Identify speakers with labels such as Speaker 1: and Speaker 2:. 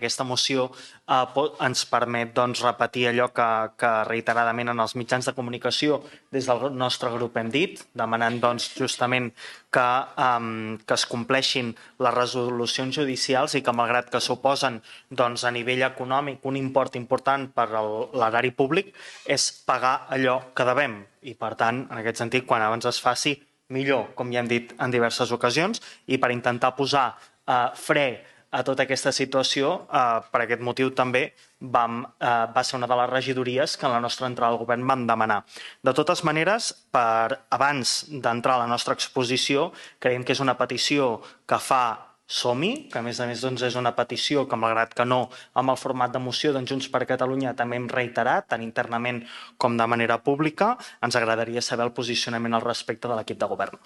Speaker 1: Aquesta moció ens permet repetir allò que reiteradament en els mitjans de comunicació des del nostre grup hem dit, demanant justament que es compleixin les resolucions judicials i que, malgrat que suposen a nivell econòmic un import important per a l'erari públic, és pagar allò que devem. I, per tant, en aquest sentit, quan abans es faci, millor, com ja hem dit en diverses ocasions, i per intentar posar fre a tota aquesta situació, per aquest motiu també va ser una de les regidories que en la nostra entrada al govern vam demanar. De totes maneres, abans d'entrar a la nostra exposició, creiem que és una petició que fa Som-hi, que a més és una petició que, malgrat que no amb el format de moció, Junts per Catalunya també hem reiterat, tant internament com de manera pública. Ens agradaria saber el posicionament al respecte de l'equip de govern.